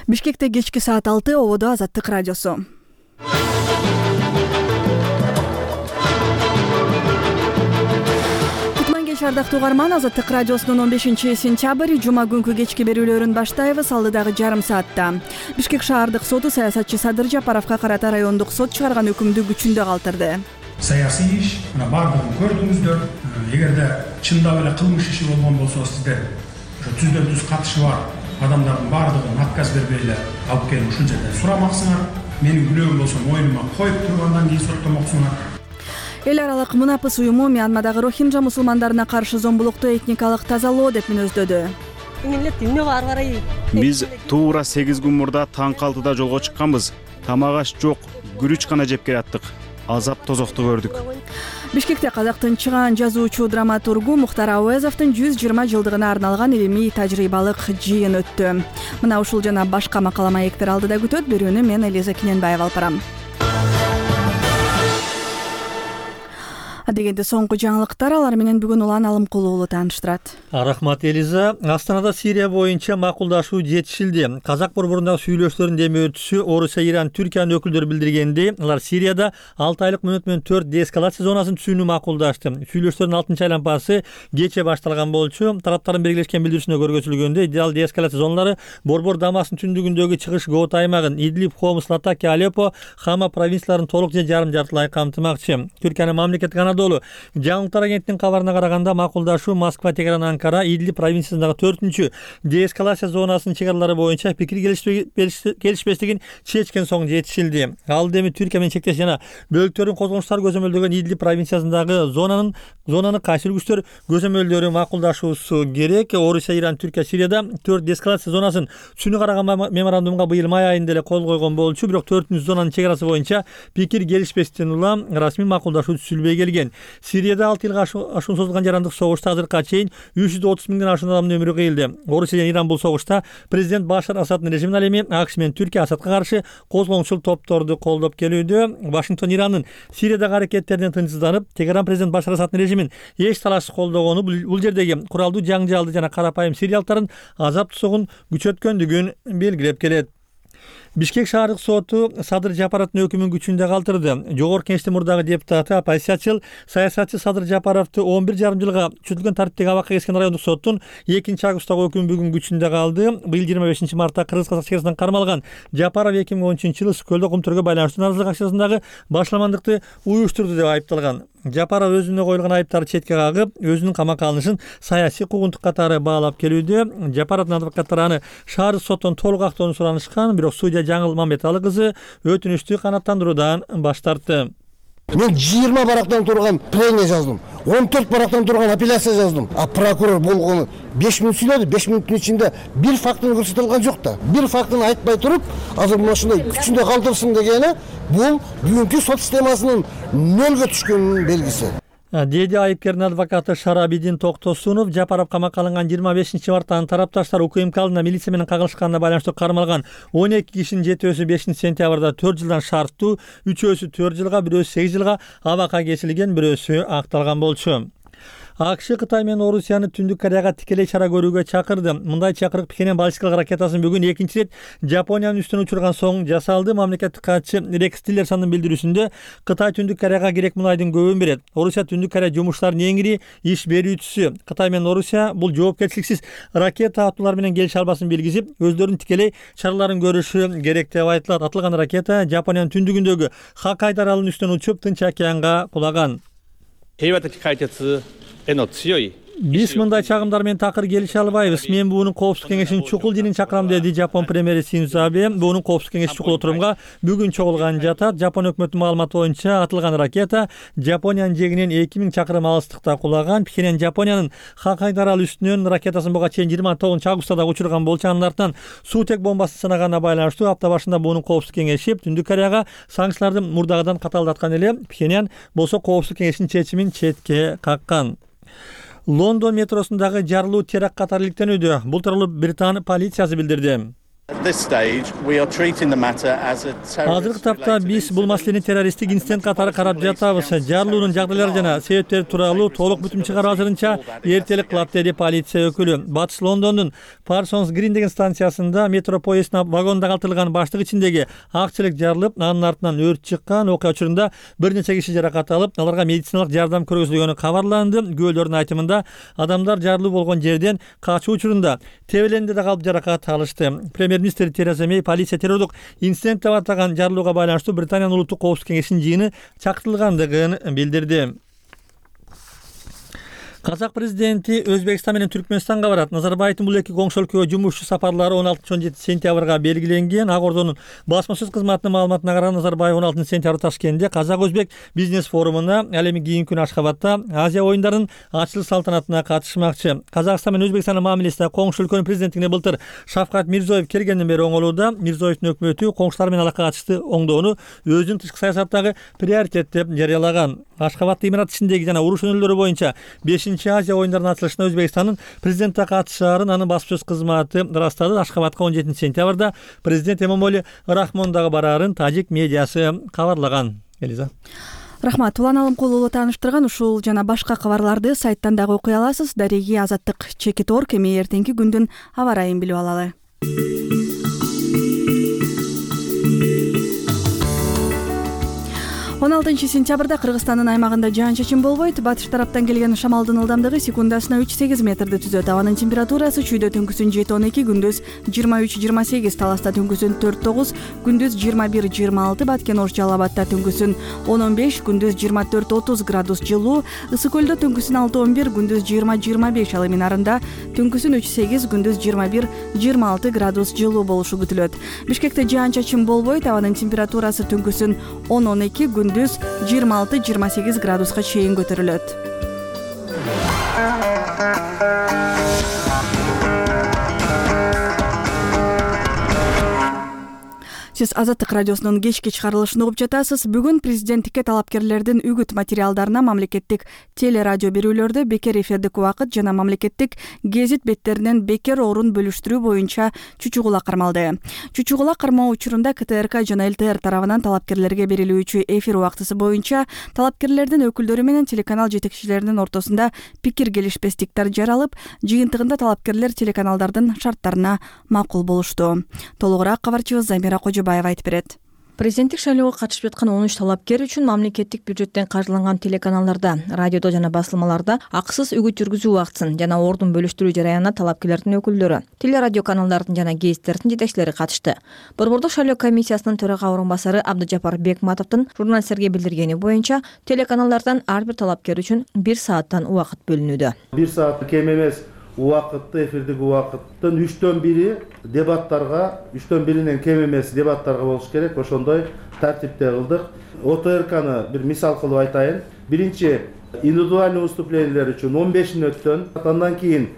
Бишкекте кечки саат 6 ободо Азаттык радиосу. Ардактуу угарман, Азаттык радиосунун 15-сентябрь жума күнкү кечки берүүлөрүн баштайбыз. Алдыдагы жарым саатта Бишкек шаардык соту саясатчы Садыр Жапаровго карата райондук сот чыгарган өкүмдү күчүндө калтырды. Саясий иш, мына бардыгын көрдүңүздөр. Эгерде чындап эле кылмыш иши болгон болсо, сиздер ошо түздөн түз катышы бар адамдардын бардыгын отказ бербей эле алып келип ушул жерден сурамаксыңар. Менин күнөөм болсо моюнума коюп туруп андан кийин соттомоксуңар. Эл аралык мунапыс уюму Мьянмадагы рохинджа мусулмандарына каршы зомбулукту этникалык тазалоо деп мүнөздөдү. Биз туура 8 күн мурда таң 6-да жолго чыкканбыз. Тамак аш жок, күрүч гана жеп келаттык. Азап тозокту көрдүк. Бишкекте казактын чыгаан жазуучу драматургу Мухтар Ауезовдун 120 жылдыгына арналган илимий тажрыйбалык жыйын өттү. Мына ушул жана башка макала маектер алдыда күтөт. Берүүнү мен Элиза Кененбаева алып барам. Дегенде соңку жаңылыктар, алар менен бүгүн Улан Алымкулуу уулу тааныштырат. Рахмат Элиза. Астанада Сирия боюнча макулдашуу жетишилди. Казак борборундагы сүйлөшүүлөрдүн демөөрчүсү Орусия, Иран, Түркиянын өкүлдөрү билдиргендей, алар Сирияда 6 айлык мөөнөт менен 4 деэскалация зонасын түзүүнү макулдашты. Сүйлөшүүлөрдүн 6-чы айлампасы кечээ башталган болчу. Тараптардын белгилешкен билдирүүсүндө көргөзүлгөндөй, идеал деэскалация зоналары борбор Дамастын түндүгүндөгү чыгыш Гоута аймагын, Идлиб, Хомс, Латакия, Алеппо, Хама провинцияларын толук же жарым жартылай камтымакчы. Түркиянын мамлекеттик жаңылыктар агенттигинин кабарына караганда, макулдашуу Москва, Тегеран, Анкара, Идлиб провинциясындагы 4-чү деэскалация зонасынын чек-аралары боюнча пикир келишпестигин чечкен соң жетишилди. Ал эми Түркия менен чектеш жана бөлүктөрдүн козголуштары көзөмөлдөгөн Идлиб провинциясындагы зонаны кайсы күчтөр көзөмөлдөрү макулдашуусу керек. Орусия, Иран, Түркия, Сирияда 4 деэскалация зонасын түшүнүү караган меморандумга быйыл май айында эле кол койгон болчу, бирок 4-чү зонанын чек-арасы боюнча пикир келишпестен улам расмий макулдашуу түзүлбөй келген. Сирияда 6 жылга ашуун созулган жарандык согушта азыркыга чейин 330 миңден ашуун адамдын өмүрү кыйылды. Орусия жана Иран бул согушта президент Башар Асаддын режимине ал эми АКШ менен Түркия Асадка каршы козголоңчул топторду колдоп келүүдө. Вашингтон Ирандын Сириядагы аракеттеринен тынчсызданып, Тегеран президент Башар Асаддын режимин эч талашсыз колдогону бул жердеги куралдуу жаңжалды жана карапайым сириялыктардын азап тусугун күчөткөндүгүн белгилеп келет. Бишкек шаардык соту Садыр Жапаровдун өкүмүн күчүндө калтырды. Жогорку Кеңештин мурдагы депутаты, оппозициячыл саясатчы Садыр Жапаровду 11,5 жылга күчөтүлгөн тартиптеги абакка кескен райондук соттун 2-августтагы өкүмү бүгүн күчүндө калды. Быйыл 25 мартта Кыргыз-Казак чекарасынан кармалган Жапаров 2013-жылы Сүкөлдө кумтөргө байланыштуу наразылык акчасындагы башламандыкты уюштурду деп айыпталган. Жапаров өзүнө коюлган айыптарды четке кагып, өзүнүн камакка алынышын саясий куугунтук катары баалап келүүдө. Жапаровдун адвокаттары аны шаардык соттон толук актоону суранышкан, бирок судья Жаңыл Мамбеталы кызы өтүнүштү канааттандыруудан баш тартты. Мен 20 барактан турган премия жаздым. 14 барактан турган апелляция жаздым. А прокурор болгону 5 мүнөт сүйлөдү. 5 мүнөттүн ичинде бир фактын көрсөтүлгөн жок да. Бир фактын айтпай туруп, азыр мына ушундай күчүндө калтырсын дегени бул бүгүнкү сот системасынын нөлгө түшкөнүнүн белгиси. Деди айыпкердин адвокаты Шарабидин Токтосунов. Жапаров камакка алынган 25 марттан тарапташтар УКМК алдына милиция менен кагылышканына байланыштуу кармалган 12 кишинин 7-өсү 5-сентябрда 4 жылдан шарттуу, 3-өсү 4 жылга, 1-өсү 8 жылга абакка кесилген, 1-өсү акталган болчу. АКШ Кытай менен Орусияны Түндүк Кореяга тикелей чара көрүүгө чакырды. Мындай чакырык Пхеньян баллистикалык ракетасын бүгүн 2-чи рет Жапониянын үстүнө учурган соң жасалды. Мамлекеттик катчы Рекс Тиллерсондун билдирүүсүндө Кытай Түндүк Кореяга керек мунайдын көбүн берет. Орусия Түндүк Корея жумуштарынын эң ири иш берүүчүсү. Кытай менен Орусия бул жоопкерчиликсиз ракета атуулар менен келише албасын билгизип, өздөрүнүн тикелей чараларын көрүшү керек деп айтылат. Атылган ракета Жапониянын түндүгүндөгү Хоккайдо аралынын үстүнөн учуп, Тынч океанга кулаган. Биз мындай чагымдар менен такыр келише албайбыз. Мен буунун коопсуздук кеңешинин чукул жинин чакырам, деди Жапон премьери Синдзо Абе. Буунун коопсуздук кеңеши чукул отурумга бүгүн чогулган жатат. Жапон өкмөтүнүн маалыматы боюнча атылган ракета Жапониянын жегинен 2000 чакырым алыстыкта кулаган. Пхеньян Жапониянын Хоккайдо аралы үстүнөн ракетасын буга чейин 29-августта учурган болчу. Анын артынан суутек бомбасын сынаганына байланыштуу апта башында буунун коопсуздук кеңеши Түндүк Кореяга санкцияларды мурдагыдан каталдаткан эле. Пхеньян болсо коопсуздук кеңешинин чечимин четке каккан. Лондон метросундагы жарылуу теракт катары иликтенүүдө. Бул тууралуу Британ полициясы билдирди. Азыркы тапта биз бул маселени террористтик инцидент катары карап жатабыз. Жарылуунун жагдайлары жана себептери тууралуу толук бүтүм чыгаруу азырынча эртелик кылат, деди полиция өкүлү. Батыш Лондондун Parsons Green деген станциясында метро поезддин вагонунда калтырылган баштык ичиндеги ак челек жарылып, анын артынан өрт чыккан. Окуя учурунда бир нече киши жаракат алып, аларга медициналык жардам көргөзүлгөнү кабарланды. Күбөлөрдүн айтымында адамдар жарылуу болгон жерден качуу учурунда тебеленде да калып жаракат алышты. Премьер-министр Тереза Мэй полиция террордук инцидент деп атаган жарылууга байланыштуу Британиянын улуттук коопсуздук кеңешинин жыйыны чакыртылгандыгын билдирди. Казак президенти Өзбекстан менен Түркмөнстанга барат. Назарбаевдин бул эки коңшу өлкөгө жумушчу сапарлары 16-17 сентябрга белгиленген. Ак Ордонун басма сөз кызматынын маалыматына караганда Назарбаев 16 сентябрда Ташкентте Казак-Өзбек бизнес форумуна, ал эми кийинки күнү Ашхабадта Азия оюндарынын ачылыш салтанатына катышмакчы. Казакстан менен Өзбекстандын мамилесине коңшу өлкөнүн президенттигине былтыр Шавкат Мирзиёев келгенден бери оңолууда. Мирзиёевдин өкмөтү коңшулар менен алакага чыкты оңдоону өзүнүн тышкы саясаттагы приоритет деп жарыялаган. Ашхабад имарат ичиндеги жана уруш өнөөлөрү боюнча 5-Азия оюндарынын ачылышына Өзбекстандын президенти катышаарын анын басма сөз кызматы ырастады. Ашхабадка 17 сентябрда президент Эмомали Рахмон дагы бараарын тажик медиасы кабарлаган. Элиза. Рахмат. Улан Алымкулуу тааныштырган ушул жана башка кабарларды сайттан дагы окуй аласыз. Дареги Азаттык чекит орг. Эми эртеңки күндүн аба ырайын билип алалы. 16 сентябрда Кыргызстандын аймагында жаан-чачын болбойт. Батыш тараптан келген шамалдын ылдамдыгы секундасына 3-8 метрди түзөт. Абанын температурасы чүйдө түнкүсүн 7-12, күндүз 23-28, таласта түнкүсүн 4-9, күндүз 21-26, Баткен Ош Жалал Абадта түнкүсүн 10-15, күндүз 24-30 градус жылуу, Ысык Көлдө түнкүсүн 6-11, күндүз 20-25, ал эми Нарында түнкүсүн 3-8, күндүз 21-26 градус жылуу болушу күтүлөт. Бишкекте жаан-чачын болбойт. Абанын температурасы түнкүсүн 10-12, күндүз 26-28 градуска чейин көтөрүлөт. Сиз Азаттык радиосунун кечки чыгарылышын угуп жатасыз. Бүгүн президенттикке талапкерлердин үгүт материалдарына мамлекеттик телерадио берүүлөрдө бекер эфирдик убакыт жана мамлекеттик гезит беттеринен бекер орун бөлүштүрүү боюнча чучугула кармалды. Чучугула кармоо учурунда КТРК жана ЛТР тарабынан талапкерлерге берилүүчү эфир убактысы боюнча талапкерлердин өкүлдөрү менен телеканал жетекчилеринин ортосунда пикир келишпестиктер жаралып, жыйынтыгында талапкерлер телеканалдардын шарттарына макул болушту. Толугураак кабарчыбыз Замира Кожобаева айтып берет. Президенттик шайлоого катышып жаткан 13 талапкер үчүн мамлекеттик бюджеттен каржыланган телеканалдарда, радиодо жана басылмаларда акысыз үгүт жүргүзүү убактысын жана ордун бөлүштүрүү жараянына талапкерлердин өкүлдөрү, телерадио каналдардын жана гезиттердин жетекчилери катышты. Борбордук шайлоо комиссиясынын төрага орун басары Абдыжапар Бекматовдун журналисттерге билдиргени боюнча, телеканалдардан ар бир талапкер үчүн 1 сааттан убакыт бөлүнүүдө. 1 саат кем эмес убакытты, эфирдик убакыттын 3/1 дебаттарга, 3/1 кем эмес дебаттарга болуш керек. Ошондой тартипте кылдык. ОТРКны бир мисал кылып айтайын. Биринчи индивидуальный выступлениялер үчүн 15 мүнөттөн, андан кийин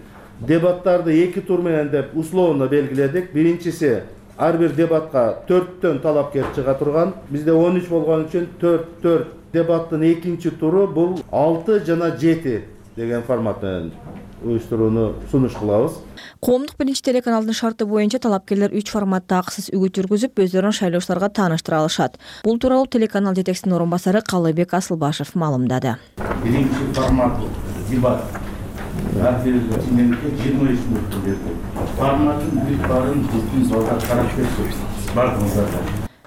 дебаттарды 2 тур менен деп условно белгиледик. Биринчиси ар бир дебатка 4төн талапкер чыга турган. Бизде 13 болгон үчүн 4 дебаттын экинчи туру бул 6 жана 7 деген формат менен уюштурууну сунуш кылабыз. Коомдук биринчи телеканалдын шарты боюнча талапкерлер 3 форматта акысыз үгүт жүргүзүп, өздөрүн шайлоочуларга тааныштыра алышат. Бул тууралуу телеканал жетекчисинин орун басары Калыбек Асылбашев маалымдады. Биринчи формат дебат. Ар бир ченемге 23 мүнөт берди. Форматын бүт барын бүткүн залда карап көрсөтүп бардыңыздар.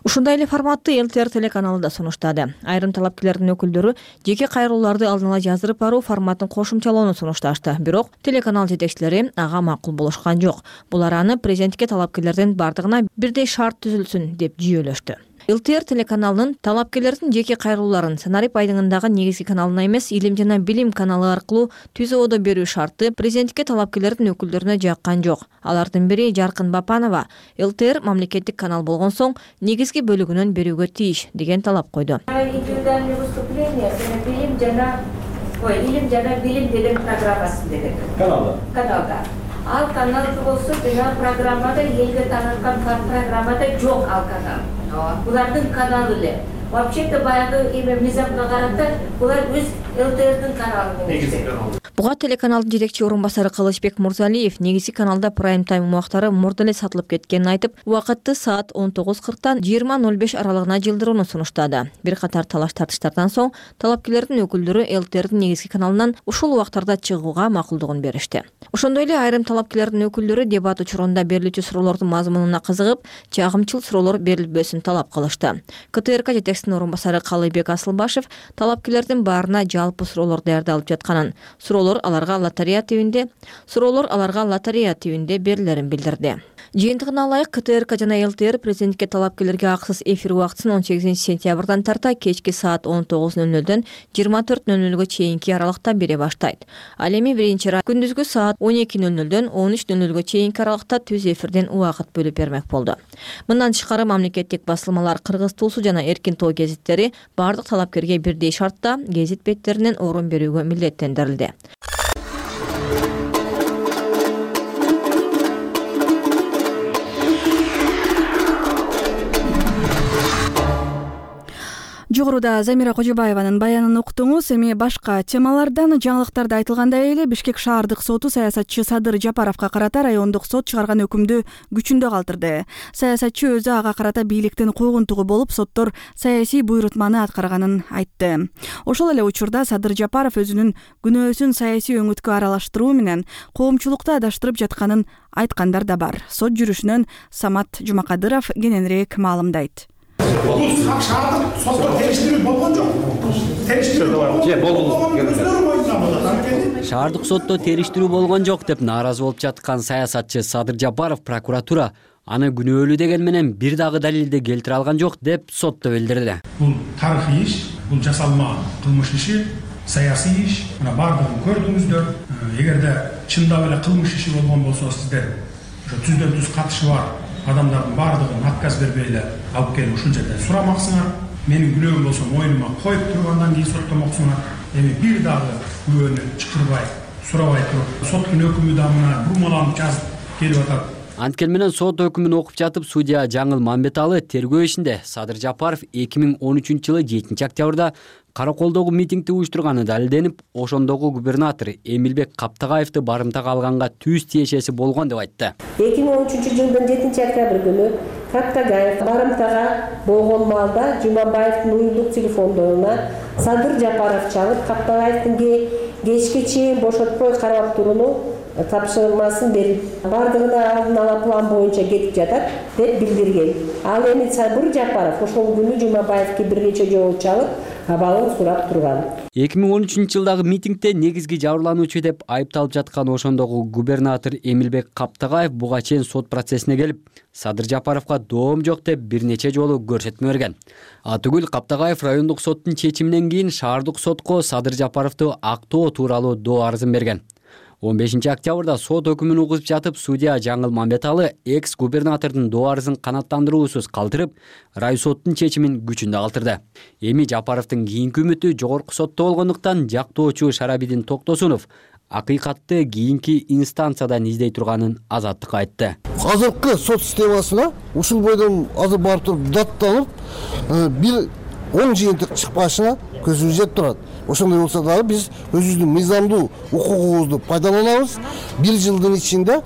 Ушундай эле форматты ЛТР телеканалы да сунуштады. Айрым талапкерлердин өкүлдөрү жеке кайрылууларды алдын ала жаздырып баруу форматын кошумчалоону сунушташты. Бирок телеканал жетекчилери ага макул болушкан жок. Булар аны президенттикке талапкерлердин бардыгына бирдей шарт түзүлсүн деп жүйөлөштү. ЛТР телеканалынын талапкерлердин жеке кайрылууларын сценарий пайдыңындагы негизги каналына эмес, Илим жана билим каналы аркылуу ТЗОдо берүү шарты президенттикке талапкерлердин өкүлдөрүнө жаккан жок. Алардын бири Жаркын Бапанова ЛТР мамлекеттик канал болгон соң негизги бөлүгүнөн берүүгө тийиш деген талап койду. Индивидуальное выступление Илим жана билим деген программасы деген каналда. Ал каналды болсо жана программада элге таанылган программада жок ал канал. Булардын каналы эле. Вообще-то баягы эме мизамга карата булар өз ЛТРдин каналы. Буга телеканалдын жетекчи орун басары Кылычбек Мурзалиев негизги каналда прайм тайм убактары мурда эле сатылып кеткенин айтып, убакытты саат 19:40 20:05 аралыгына жылдырууну сунуштады. Бир катар талаш тартыштардан соң талапкерлердин өкүлдөрү ЛТРдин негизги каналынан ушул убактарда чыгууга макулдугун беришти. Ошондой эле айрым талапкерлердин өкүлдөрү дебат учурунда берилүүчү суроолордун мазмунуна кызыгып, чагымчыл суроолор берилбесин талап кылышты. КТРК жетекчисинин орун басары Калыйбек Асылбашев талапкерлердин баарына жалпы суроолор даярдалып жатканын, суроолор аларга лотерея тибинде берилерин билдирди. Жыйынтыгына ылайык КТРК жана ЛТР президентке талапкерлерге акысыз эфир убактысын 18-сентябрдан тарта кечки саат 19:00дөн 24:00га чейинки аралыкта бере баштайт. Ал эми биринчи күндүзгү саат 12:00дөн 13:00га чейинки аралыкта түз эфирден убакыт бөлүп бермек болду. Мындан тышкары мамлекеттик басылмалар Кыргыз Туусу жана Эркин Тоо гезиттери бардык талапкерге бирдей шартта гезит беттеринен орун берүүгө милдеттендирилди. Жогоруда Замира Кожобаеванын баянын уктуңуз. Эми башка темалардан жаңылыктарда айтылгандай эле Бишкек шаардык соту саясатчы Садыр Жапаровго карата райондук сот чыгарган өкүмдү күчүндө калтырды. Саясатчы өзү ага карата бийликтин куугунтугу болуп, соттор саясий буйрутманы аткарганын айтты. Ошол эле учурда Садыр Жапаров өзүнүн күнөөсүн саясий өңүткө аралаштыруу менен коомчулукту адаштырып жатканын айткандар да бар. Сот жүрүшүнөн Самат Жумакадыров кененирээк маалымдайт. Бул шаардык сотто териштирүү болгон жок. Шаардык сотто териштирүү болгон жок деп нааразы болуп жаткан саясатчы Садыр Жапаров прокуратура аны күнөөлүү деген менен бир дагы далилди келтире алган жок деп сотто билдирди. Бул тарыхый иш, бул жасалма кылмыш иши, саясий иш. Мына бардыгын көрдүңүздөр. Эгерде чындап эле кылмыш иши болгон болсо сиздер ошо түздөн түз катышы бар адамдардын бардыгын отказ бербей эле алып келип ушул жерден сурамаксыңар. Менин күнөөм болсо мойнума коюп туруп андан кийин соттомоксуңар. Эми бир дагы күбөнү чакырбай, сурабай туруп, соттун өкүмү да мына бурмаланып жазып келип атат. Анткени менен сот өкүмүн окуп жатып, судья Жаңыл Мамбеталы тергөө ишинде Садыр Жапаров 2013-жылы 7-октябрда Караколдогу митингди уюштурганы далилденип, ошондогу губернатор Эмилбек Каптагаевди барымтага алганга түз тиешеси болгон деп айтты. 2013-жылдын 7-октябрь күнү Каптагаев барымтага болгон маалда Жумабаевдин уюлдук телефондоруна Садыр Жапаров чалып, Каптагаевдин кечке чейин бошотпой карап турууну тапшырмасын берип, бардыгына алдын ала план боюнча кетип жатат деп билдирген. Ал эми Садыр Жапаров ошол күнү Жумабаевге бир нече жолу чалып, абалын сурап турган. 2013-жылдагы митингде негизги жабырлануучу деп айыпталып жаткан ошондогу губернатор Эмилбек Каптагаев буга чейин сот процессине келип, Садыр Жапаровго доом жок деп бир нече жолу көрсөтмө берген. Атүгүл Каптагаев райондук соттун чечиминен кийин шаардык сотко Садыр Жапаровду актоо тууралуу доо арызын берген. 15-октябрда сот өкүмүн угузуп жатып, судья Жаңыл Мамбеталы экс-губернатордун доо арызын канааттандыруусуз калтырып, райсоттун чечимин күчүндө калтырды. Эми Жапаровдун кийинки үмүтү жогорку сотто болгондуктан жактоочу Шарабидин Токтосунов акыйкатты кийинки инстанциядан издей турганын Азаттыкка айтты. Азыркы сот системасына ушул бойдон азыр барып туруп датталып, бир оң жыйынтык чыкпашына көзүбүз жетип турат. Ошондой болсо дагы биз өзүбүздүн мыйзамдуу укугубузду пайдаланабыз. Бир жылдын ичинде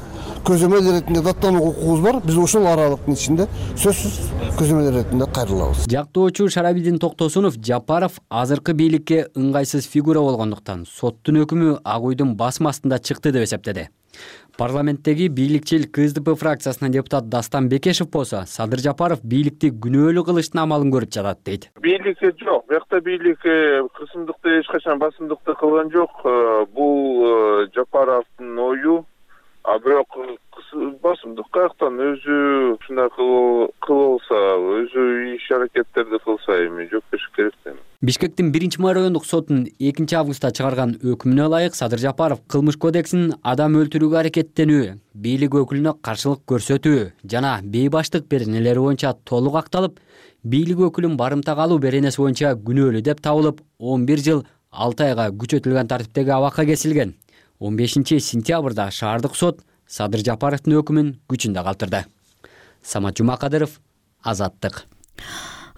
көзөмөл иретинде даттануу укугубуз бар. Биз ошол аралыктын ичинде сөзсүз көзөмөл иретинде кайрылабыз. Жактоочу Шарабидин Токтосунов Жапаров азыркы бийликке ыңгайсыз фигура болгондуктан соттун өкүмү ак уйдун басма астында чыкты деп эсептеди. Парламенттеги бийликчил КСДП фракциясынын депутат Дастан Бекешев болсо, Садыр Жапаров бийликти күнөөлүү кылыштын амалын көрүп жатат дейт. Бийликке жок, бuyakta бийлик кысымдыкты эч качан басымдыкты кылган жок. Бул Жапаровдун ою, а бирок басымдык каяктан өзү ушундай кылса, өзү иш аракеттерди кылса эми жооп бериш керек да. Бишкектин 1-май райондук сотунун 2-августта чыгарган өкүмүнө ылайык Садыр Жапаров кылмыш кодексинин адам өлтүрүүгө аракеттенүү, бийлик өкүлүнө каршылык көрсөтүү жана бейбаштык беренелери боюнча толук акталып, бийлик өкүлүн барымтага алуу беренеси боюнча күнөөлүү деп табылып, 11 жыл 6 айга күчөтүлгөн тартиптеги абакка кесилген. 15-сентябрда шаардык сот Садыр Жапаровдун өкүмүн күчүндө калтырды. Самат Жумакадыров, Азаттык.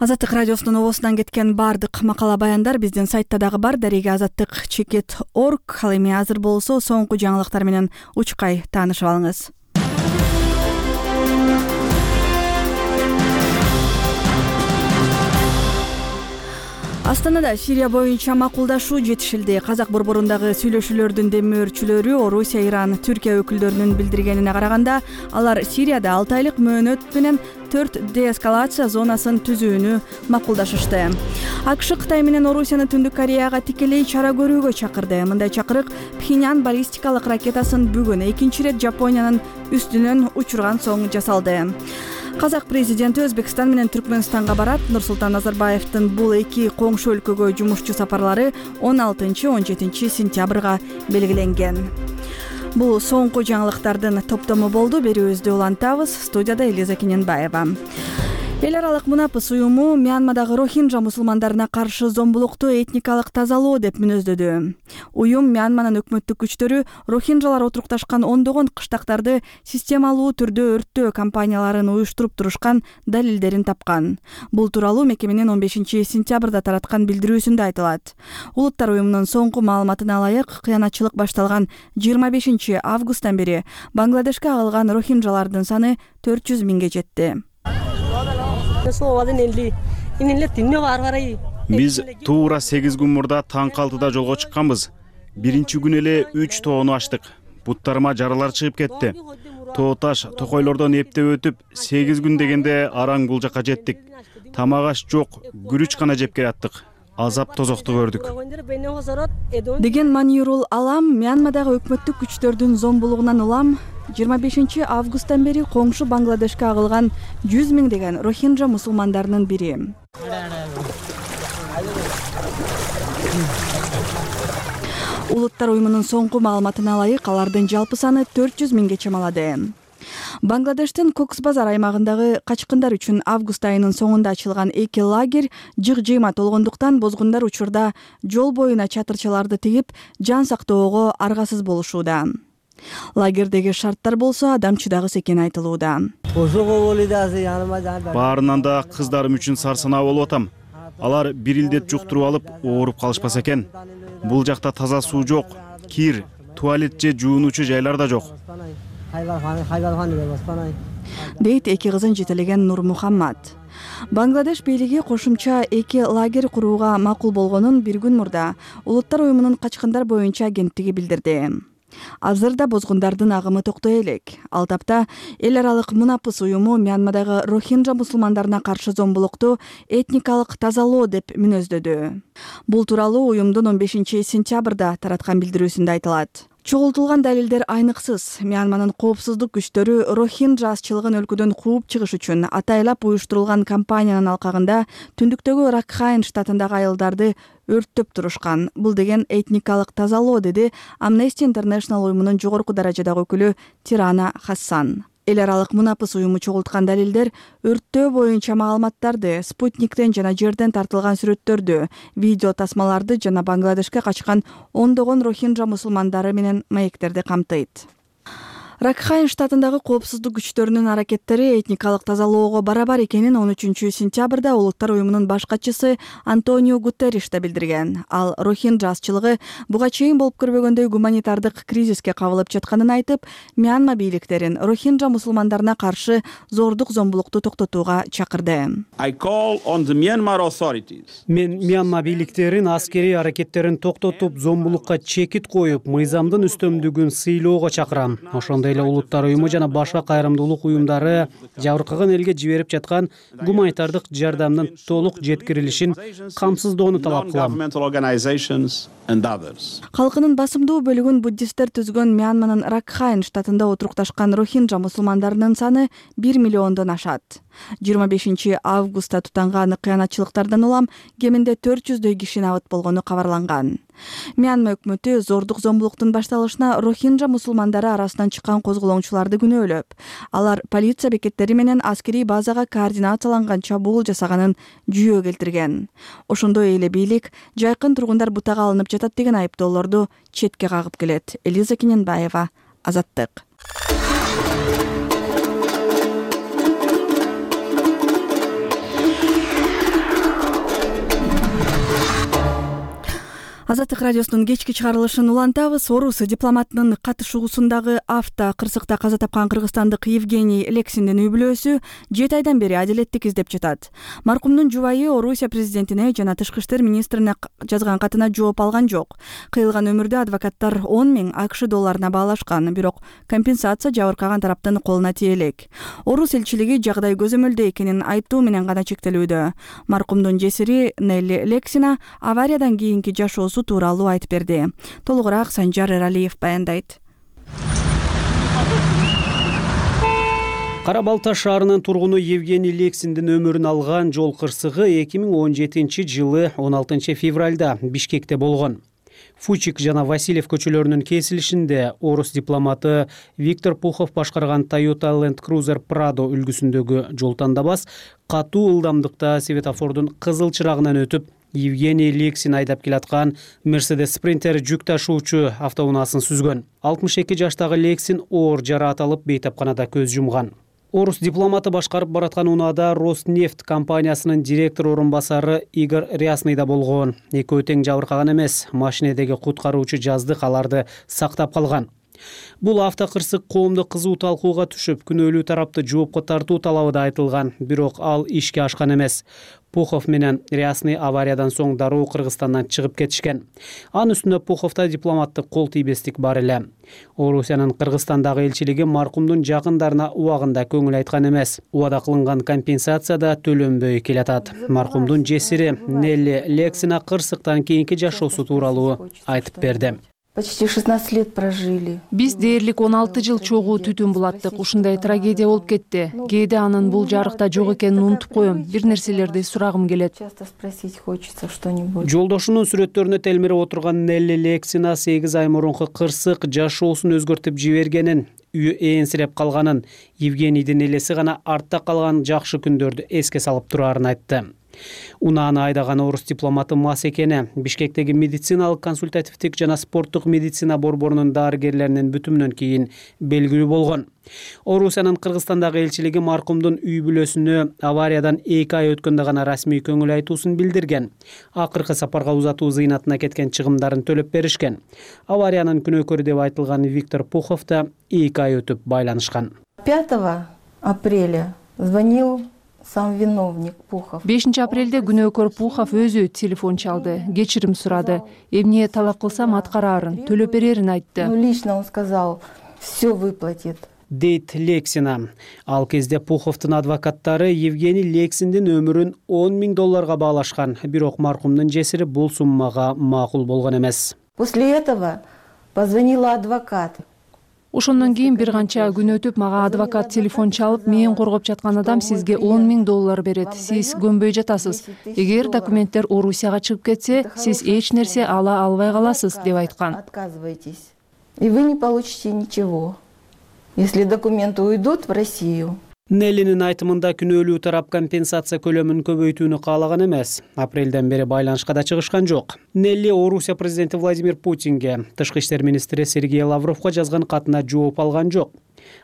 Азаттык радиосунун обосунан кеткен баардык макала баяндар биздин сайтта дагы бар. Дареги azattik.org. Ал эми азыр болсо соңку жаңылыктар менен учкай таанышып алыңыз. Астанада Сирия боюнча макулдашуу жетишилди. Казак борборундагы сүйлөшүүлөрдүн демөөрчүлөрү Орусия, Иран, Түркия өкүлдөрүнүн билдиргенине караганда, алар Сирияда 6 айлык мөөнөт менен 4 деэскалация зонасын түзүүнү макулдашышты. АКШ Кытай менен Орусияны Түндүк Кореяга тикелей чара көрүүгө чакырды. Мындай чакырык Пхеньян баллистикалык ракетасын бүгүн экинчи ирет Жапониянын үстүнөн учурган соң жасалды. Казак президенти Өзбекстан менен Түркмөнстанга барат. Нурсултан Назарбаевдин бул эки коңшу өлкөгө жумушчу сапарлары 16-17 сентябрга белгиленген. Бул соңку жаңылыктардын топтому болду. Берүүбүздү улантабыз. Студияда Элиза Кененбаева. Эл аралык мунапыс уюму Мьянмадагы рохинджа мусулмандарына каршы зомбулукту этникалык тазалоо деп мүнөздөдү. Уюм Мьянманын өкмөттүк күчтөрү рохинджалар отурукташкан ондогон кыштактарды системалуу түрдө өрттөө кампанияларын уюштуруп турушкан далилдерин тапкан. Бул тууралуу мекеменин 15 сентябрда тараткан билдирүүсүндө айтылат. Улуттар уюмунун соңку маалыматына ылайык, кыянатчылык башталган 25 августтан бери Бангладешке агылган рохинджалардын саны 400 миңге жетти. Биз туура 8 күн мурда таң калтыда жолго чыкканбыз. Биринчи күн эле 3 тоону ачтык. Буттарыма жаралар чыгып кетти. Тоо таш, токойлордон эптеп өтүп, 8 күн дегенде араң бул жакка жеттик. Тамак аш жок, күрүч гана жеп келаттык. Азап тозокту көрдүк. Деген Манирул Алам Мьянмадагы өкмөттүк күчтөрдүн зомбулугунан улам 25 августтан бери коңшу Бангладешке агылган 100 миңдеген рохинджа мусулмандарынын бири. Улуттар уюмунун соңку маалыматына ылайык, алардын жалпы саны 400 миңге чамалады. Бангладештин Кокс-Базар аймагындагы качкындар үчүн август айынын соңунда ачылган эки лагерь жык-жыйма болгондуктан бозгундар учурда жол боюна чатырчаларды тигип, жан сактоого аргасыз болушууда. Лагердеги шарттар болсо адам чыдагыс экени айтылууда. Баарынан да кыздарым үчүн сарсанаа болуп атам. Алар бир илдет жуктуруп алып, ооруп калышпаса экен. Бул жакта таза суу жок, кир, туалет же жуунуучу жайлар да жок. Дейт эки кызын жетелеген Нур Мухаммад. Бангладеш бийлиги кошумча эки лагерь курууга макул болгонун бир күн мурда Улуттар уюмунун качкындар боюнча агенттиги билдирди. Азырда бозгундардын агымы токтой элек. Ал тапта эл аралык мунапыс уюму Мьянмадагы рохинджа мусулмандарына каршы зомбулукту этникалык тазалоо деп мүнөздөдү. Бул тууралуу уюмдун 15 сентябрда тараткан билдирүүсүндө айтылат. Чогултулган далилдер айныксыз. Мьянманын коопсуздук күчтөрү рохинджа азчылыгын өлкөдөн кууп чыгыш үчүн атайлап уюштурулган кампаниянын алкагында түндүктөгү Ракхайн штатындагы айылдарды өрттөп турушкан. Бул деген этникалык тазалоо, деди Amnesty International уюмунун жогорку даражадагы өкүлү Тирана Хассан. Эл аралык мунапыс уюму чогулткан далилдер өрттөө боюнча маалыматтарды, спутниктен жана жерден тартылган сүрөттөрдү, видео тасмаларды жана Бангладешке качкан ондогон рохинджа мусулмандары менен маектерди камтыйт. Ракхайн штатындагы коопсуздук күчтөрүнүн аракеттери этникалык тазалоого барабар экенин 13 сентябрда Улуттар уюмунун баш катчысы Антонио Гутерриш да билдирген. Ал рохинджа азчылыгы буга чейин болуп көрбөгөндөй гуманитардык кризиске кабылып жатканын айтып, Мьянма бийликтерин рохинджа мусулмандарына каршы зордук зомбулукту токтотууга чакырды. Мен Мьянма бийликтерин аскерий аракеттерин токтотуп, зомбулукка чекит коюп, мыйзамдын үстөмдүгүн сыйлоого чакырам. Ошондой эле Улуттар уюму жана башка кайрымдуулук уюмдары жабыркаган элге жиберип жаткан гуманитардык жардамдын толук жеткирилишин камсыздоону талап кылам. Калкынын басымдуу бөлүгүн буддисттер түзгөн Мьянманын Ракхайн штатында отурукташкан рохинджа мусулмандарынын саны 1 миллиондон ашат. 25 августта тутанган кыянатчылыктардан улам кеминде 400дөй киши набыт болгону кабарланган. Мьянма өкмөтү зордук зомбулуктун башталышына рохинджа мусулмандары арасынан чыккан козголоңчуларды күнөөлөп, алар полиция бекеттери менен аскерий базага координацияланган чабуул жасаганын жүйө келтирген. Ошондой эле бийлик жайкын тургундар бутага алынып жатат деген айыптоолорду четке кагып келет. Элиза Кененбаева, Азаттык. Азаттык радиосунун кечки чыгарылышын улантабыз. Орус дипломатынын катышуусундагы кырсыкта каза тапкан кыргызстандык Евгений Лексиндин үй бүлөсү 7 айдан бери адилеттик издеп жатат. Маркумдун жубайы Орусия президентине жана тышкы иштер министрине жазган катына жооп алган жок. Кыйылган өмүрдө адвокаттар 10 000 АКШ долларына баалашкан, бирок компенсация жабыркаган тараптын колуна тие элек. Орус элчилиги жагдай көзөмөлдө экенин айттуу менен гана чектелүүдө. Маркумдун жесири Нелли Лексина авариядан кийинки жашоосу тууралуу айтып берди. Толугураак Санжар Эралиев баяндайт. Кара Балта шаарынын тургуну Евгений Лексиндин өмүрүн алган жол кырсыгы 2017-жылы 16 февралда Бишкекте болгон. Фучик жана Васильев көчөлөрүнүн кесилишинде орус дипломаты Виктор Пухов башкарган Toyota Land Cruiser Prado үлгүсүндөгү жол тандабас катуу ылдамдыкта светофордун кызыл чырагынан өтүп, Евгений Лексин айдап келаткан Mercedes Sprinter жүк ташуучу автоунаасын сүзгөн. 62 жаштагы Лексин оор жараат алып бейтапканада көз жумган. Орус дипломаты башкарып бараткан унаада Роснефть компаниясынын директор орун басары Игорь Рясный да болгон. Экөө тең жабыркаган эмес, машинедеги куткаруучу жаздык аларды сактап калган. Бул автокырсык коомдук кызуу талкууга түшүп, күнөөлүү тарапты жоопко тартуу талабы да айтылган, бирок ал ишке ашкан эмес. Пухов менен Рясный авариядан соң дароо Кыргызстандан чыгып кетишкен. Анын үстүнө Пуховдо дипломаттык кол тийбестик бар эле. Орусиянын Кыргызстандагы элчилиги маркумдун жакындарына убагында көңүл айткан эмес. Убада кылынган компенсация да төлөнбөй келатат. Маркумдун жесири Нелли Лексина кырсыктан кийинки жашоосу тууралуу айтып берди. Почти 16 лет прожили. Биз дээрлик 16 жыл чогуу түтүн булаттык. Ушундай трагедия болуп кетти. Кээде анын бул жарыкта жок экенин унутуп коем. Бир нерселерди сурагым келет. Часто спросить хочется что-нибудь. Жолдошунун сүрөттөрүнө телмирип отурган Нелли Лексина 8 ай мурунку кырсык жашоосун өзгөртүп жибергенин, үйү ээнсиреп калганын, Евгенийдин элеси гана артта калган жакшы күндөрдү эске салып турарын айтты. Унааны айдаган орус дипломаты мас экени Бишкектеги медициналык консультативдик жана спорттук медицина борборунун дарыгерлеринин бүтүмүнөн кийин белгилүү болгон. Орусиянын Кыргызстандагы элчилиги маркумдун үй бүлөсүнө авариядан 2 ай өткөндө гана расмий көңүл айтуусун билдирген. Акыркы сапарга узатуу зыйнатына кеткен чыгымдарын төлөп беришкен. Авариянын күнөөкөрү деп айтылган Виктор Пухов да 2 ай өтүп байланышкан. 5 апреля звонил сам виновник Пухов. 5 апрелде күнөөкөр Пухов өзү телефон чалды, кечирим сурады. Эмне талап кылсам аткараарын, төлөп берерин айтты. Лично он сказал, все выплатит. Дейт Лексина. Ал кезде Пуховдун адвокаттары Евгений Лексиндин өмүрүн 10 000 долларга баалашкан, бирок маркумдун жесири бул суммага макул болгон эмес. После этого позвонила адвокат. Ошондон кийин бир канча күн өтүп мага адвокат телефон чалып, мен коргоп жаткан адам сизге 10 000 доллар берет. Сиз көнбөй жатасыз. Эгер документтер Орусияга чыгып кетсе, сиз эч нерсе ала албай каласыз деп айткан. Отказывайтесь. И вы не получите ничего, если документы уйдут в Россию. Неллинин айтымында күнөөлүү тарап компенсация көлөмүн көбөйтүүнү каалаган эмес. Апрелден бери байланышка да чыгышкан жок. Нелли Орусия президенти Владимир Путинге, тышкы иштер министри Сергей Лавровго жазган катына жооп алган жок.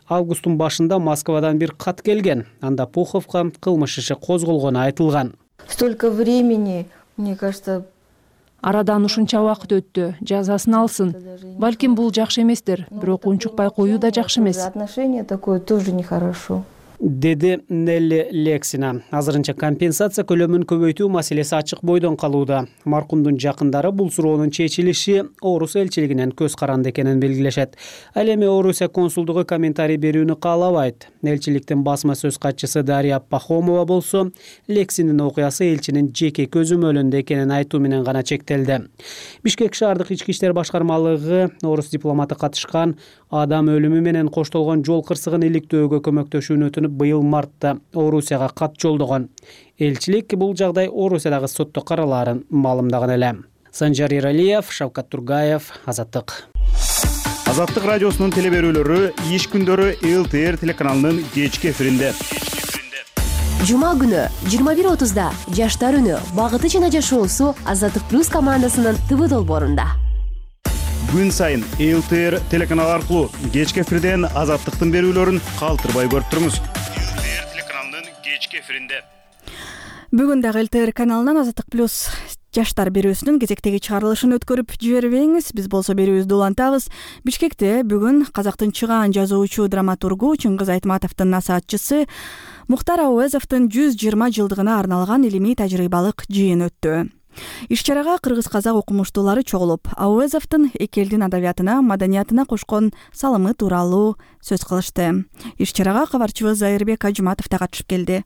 Августтун башында Москвадан бир кат келген. Анда Пуховго кылмыш иши козголгону айтылган. Столько времени, мне кажется, арадан ушунча убакыт өттү, жазасын алсын. Балким бул жакшы эместир, бирок унчукпай коюу да жакшы эмес. Отношение такое тоже нехорошо. Деди Нелли Лексина. Азырынча компенсация көлөмүн көбөйтүү маселеси ачык бойдон калууда. Маркумдун жакындары бул суроонун чечилиши Орус элчилигинен көз каранды экенин белгилешет. Ал эми Орусия консулдугу комментарий берүүнү каалабайт. Элчиликтин басма сөз катчысы Дарья Пахомова болсо, Лексиндин окуясы элчинин жеке көзөмөлүндө экенин айтуу менен гана чектелди. Бишкек шаардык ички иштер башкармалыгы орус дипломаты катышкан адам өлүмү менен коштолгон жол кырсыгын иликтөөгө көмөктөшүүнү өтүнүп, быйыл мартта Орусияга кат жолдогон. Элчилик бул жагдай Орусиядагы сотто каралаарын маалымдаган эле. Санжар Эралиев, Шавкат Тургаев, Азаттык. Азаттык радиосунун телеберүүлөрү иш күндөрү ЛТР телеканалынын кечки эфиринде. Жума күнү 21:30да Жаштар үнү, багыты жана жашоосу Азаттык плюс командасынын ТВ долбоорунда. Күн сайын ЛТР телеканалы аркылуу кечки эфирден Азаттыктын берүүлөрүн калтырбай көрүп туруңуз. ЛТР телеканалынын кечки эфиринде. Бүгүн дагы ЛТР каналынан Азаттык плюс жаштар берүүсүнүн кезектеги чыгарылышын өткөрүп жибербеңиз. Биз болсо берүүбүздү улантабыз. Бишкекте бүгүн Казактын чыгаан жазуучу, драматургу Чыңгыз Айтматовдун насаатчысы Мухтар Ауезовдун 120 жылдыгына арналган илимий тажрыйбалык жыйын өттү. Иш-чарага кыргыз-казак окумуштуулары чогулуп, Ауезовдун эки элдин адабиятына, маданиятына кошкон салымы тууралуу сөз кылышты. Иш-чарага кабарчыбыз Айырбек Ажматов да катышып келди.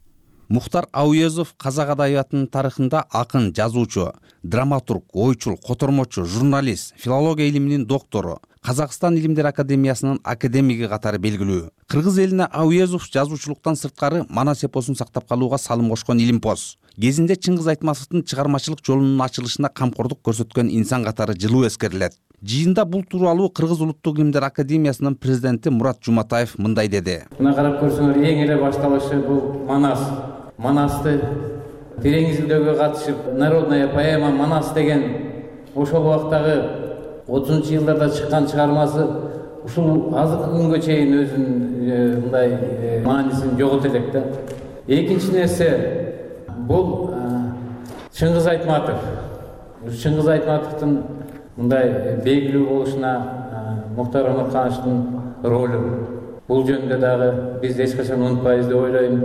Мухтар Ауезов казак адабиятынын тарыхында акын, жазуучу, драматург, ойчул, котормочу, журналист, филология илиминин доктору, Казакстан Илимдер Академиясынын академиги катары белгилүү. Кыргыз элине Ауезов жазуучулуктан сырткары манас эпосун сактап калууга салым кошкон илимпоз. Кезинде Чыңгыз Айтматовдун чыгармачылык жолунун ачылышына камкордук көрсөткөн инсан катары жылуу эскерилет. Жыйында бул тууралуу Кыргыз Улуттук Илимдер Академиясынын президенти Мурат Жуматаев мындай деди. Мына карап көрсөңөр, эң эле башталышы бул Манас. Манасты терең изилдөөгө катышып, народная поэма Манас деген ошол убактагы 30-жылдарда чыккан чыгармасы ушул азыркы күнгө чейин өзүнүн мындай маанисин жогото элек да. Экинчи нерсе бул Чыңгыз Айтматов. Чыңгыз Айтматовдун мындай белгилүү болушуна Мухтар Омархановичтин ролу. Бул жөнүндө дагы биз эч качан унутпайбыз деп ойлойм.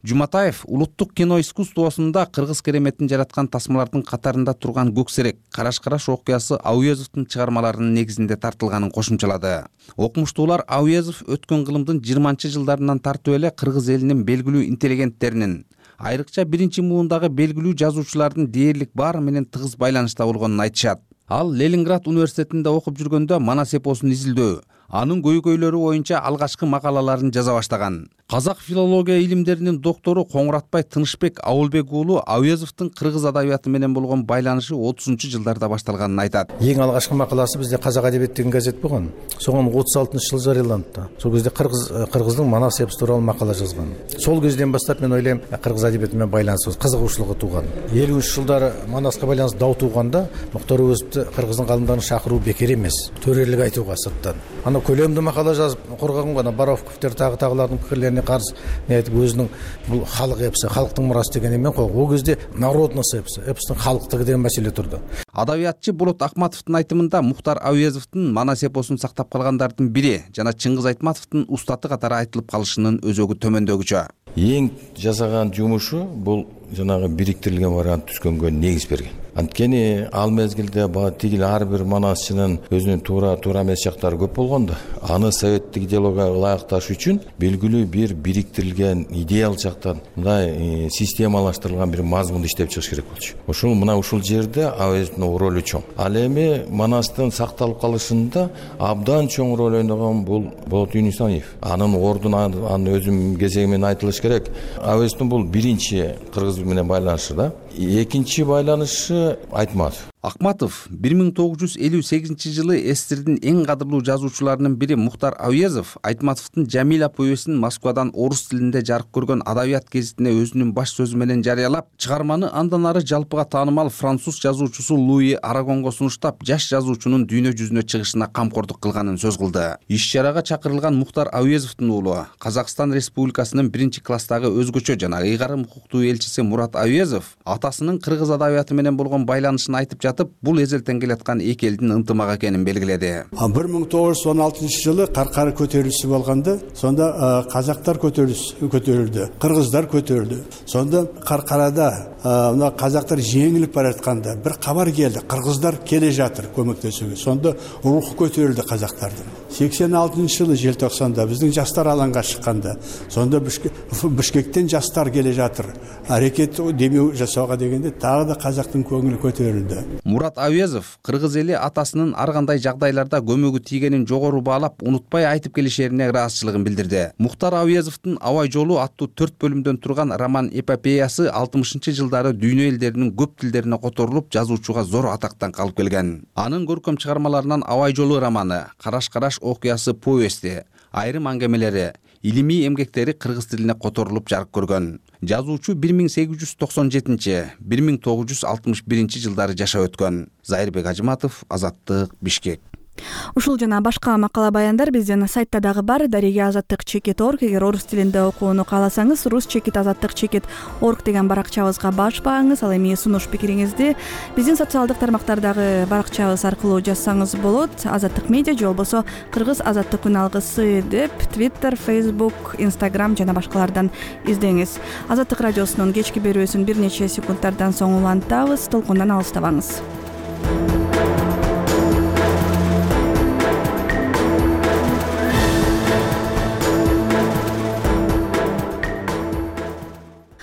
Жуматаев улуттук кино искусствосунда кыргыз кереметин жараткан тасмалардын катарында турган Көксерек, Караш-караш окуясы Ауезовдун чыгармаларынын негизинде тартылганын кошумчалады. Окумуштуулар Ауезов өткөн кылымдын 20-жылдарынан тартып эле кыргыз элинин белгилүү интеллигенттеринин, айрыкча биринчи муундагы белгилүү жазуучулардын дээрлик баары менен тыгыз байланышта болгонун айтышат. Ал Ленинград университетинде окуп жүргөндө манас эпосун изилдөө, анын көйгөйлөрү боюнча алгачкы макалаларын жаза баштаган. Казак филология илимдеринин доктору Коңуратбай Тынышбек Абылбек уулу Ауезовдун кыргыз адабияты менен болгон байланышы 30-жылдарда башталганын айтат. Эң алгачкы макаласы бизде Казак адабият деген газет болгон. Соңун 36-жылы жарыяланды. Сол кезде кыргыздын манас эпосу тууралуу макала жазган. Сол кезден баштап мен ойлойм, кыргыз адабияты менен байланысыбыз, кызыгуучулугу тууган. 50-жылдары манаска байланыштуу дау тууганда Мухтар Ауезовду кыргыздын калымдарын шакыруу бекер эмес. Төрөлүк айтууга сырттан. Ана көлөмдүү макала жазып коргогон гана Боровковтер тагылардын пикирлерине каршы не айтып өзүнүн бул халык эпосы, халктын мурасы деген эмен койгон. Ол кезде народность эпосу, эпостун халктыгы деген маселе турду. Адабиятчы Болот Акматовдун айтымында Мухтар Ауезовдун манас эпосун сактап калгандардын бири жана Чыңгыз Айтматовдун устаты катары айтылып калышынын өзөгү төмөндөгүчө. Эң жасаган жумушу бул жанагы бириктирилген вариант түзгөнгө негиз берген. Анткени ал мезгилде тигил ар бир манасчынын өзүнүн туура эмес жактары көп болгондо, аны советтик идеологияга ылайыкташ үчүн белгилүү бир бириктирилген идеал жактан мындай системалаштырылган бир мазмунду иштеп чыгыш керек болчу. Ушул жерде Ауезовдун ролу чоң. Ал эми манастын сакталып калышында абдан чоң роль ойногон бул Болот Юнусаев. Анын ордун аны өзүм кезеги менен айтылыш керек. Ауезовдун бул биринчи кыргыз менен байланышы да. Экинчи байланышы Айтматов. Акматов 1958-жылы СССРдин эң кадырлуу жазуучуларынын бири Мухтар Ауезов Айтматовдун Жамиля повестин Москвадан орус тилинде жарык көргөн адабият гезитине өзүнүн баш сөзү менен жарыялап, чыгарманы андан ары жалпыга таанымал француз жазуучусу Луи Арагонго сунуштап, жаш жазуучунун дүйнө жүзүнө чыгышына камкордук кылганын сөз кылды. Иш-чарага чакырылган Мухтар Ауезовдун уулу, Казакстан Республикасынын 1-класстагы өзгөчө жана ыйгарым укуктуу элчиси Мурат Ауезов атасынын кыргыз адабияты менен болгон байланышын айтып бул эзелтен келаткан эки элдин ынтымак экенин белгиледи. 1916-жылы Каркары көтөрүлүшү болгондо, сонда казактар көтөрүлдү, кыргыздар көтөрүлдү. Сонда Каркарада мына казактар жеңилип баратканда бир кабар келди. Кыргыздар келе жатыр көмөктөшүүгө. Сонда рух көтөрүлдү казактардын. 86-жылы желтоқсанда биздин жаштар алаңга чыкканда, сонда Бишкектен жаштар келе жатыр. Аракет демеу жасоого дегенде дагы да казактын көңүлү көтөрүлдү. Мурат Ауезов кыргыз эли атасынын ар кандай жагдайларда көмөгү тийгенин жогору баалап, унутпай айтып келишерине ыраазычылыгын билдирди. Мухтар Ауезовдун Абай жолу аттуу 4 бөлүмдөн турган роман эпопеясы 60-жылдары дүйнө элдеринин көп тилдерине которулуп, жазуучуга зор атактан калып келген. Анын көркөм чыгармаларынан Абай жолу романы, Караш-караш окуясы повести, айрым аңгемелери, илимий эмгектери кыргыз тилине которулуп жарык көргөн. Жазуучу 1897-1961 жылдары жашап өткөн. Зайырбек Ажматов, Азаттык, Бишкек. Ушул жана башка макала баяндар биздин сайтта дагы бар. Дарига азаттык чекит орг. Эгер орус тилинде окууну кааласаңыз, рус чекит азаттык чекит орг деген баракчабызга башпаңыз. Ал эми сунуш пикириңизди биздин социалдык тармактардагы баракчабыз аркылуу жазсаңыз болот. Азаттык медиа же болбосо кыргыз азаттык күн алгысы деп Twitter, Facebook, Instagram жана башкалардан издеңиз. Азаттык радиосунун кечки берүүсүн бир нече секунддардан соң улантабыз. Толкундан алыстабаңыз.